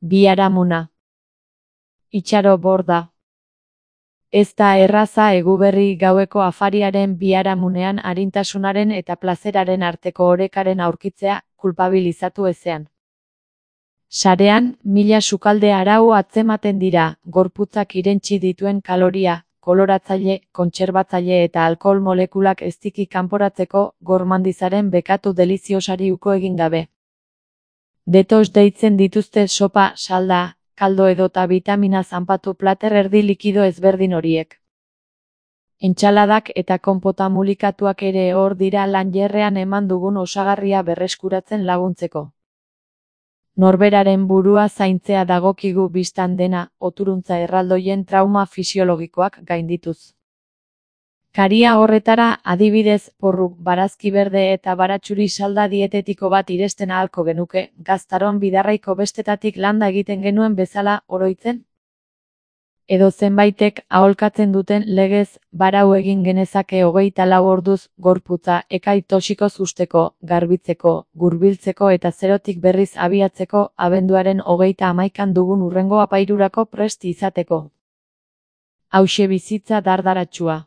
Biharamuna. Itxaro borda. Ez da erraza Eguberri gaueko afariaren biharamunean arintasunaren eta plazeraren arteko orekaren aurkitzea, kulpabilizatu ezean. Sarean, mila sukalde arau atzematen dira, gorputzak irentsi dituen kaloria, koloratzaile, kontserbatzaile eta alkohol molekulak eztiki kanporatzeko gormandizaren bekatu deliziosari uko egin gabe. Detox deitzen dituzte sopa, salda, kaldo edota vitamina zanpatu plater erdi likido ezberdin horiek. Entxaladak eta konpota mulikatuak ere hor dira lanjerrean eman dugun osagarria berreskuratzen laguntzeko. Norberaren burua zaintzea dagokigu bistan dena, oturuntza erraldoien trauma fisiologikoak gaindituz. Karia horretara, adibidez, porru, barazki berde eta baratxuri salda dietetiko bat iresten ahalko genuke, gaztaron bidarraiko bestetatik landa egiten genuen bezala, oroitzen? Edo zenbaitek, aholkatzen duten legez, barau egin genezake 24 orduz, gorputza, ekai toxikoz usteko, garbitzeko, gurbiltzeko eta zerotik berriz abiatzeko, abenduaren 31 dugun hurrengo apairurako prest izateko. Hauxe bizitza dardaratsua.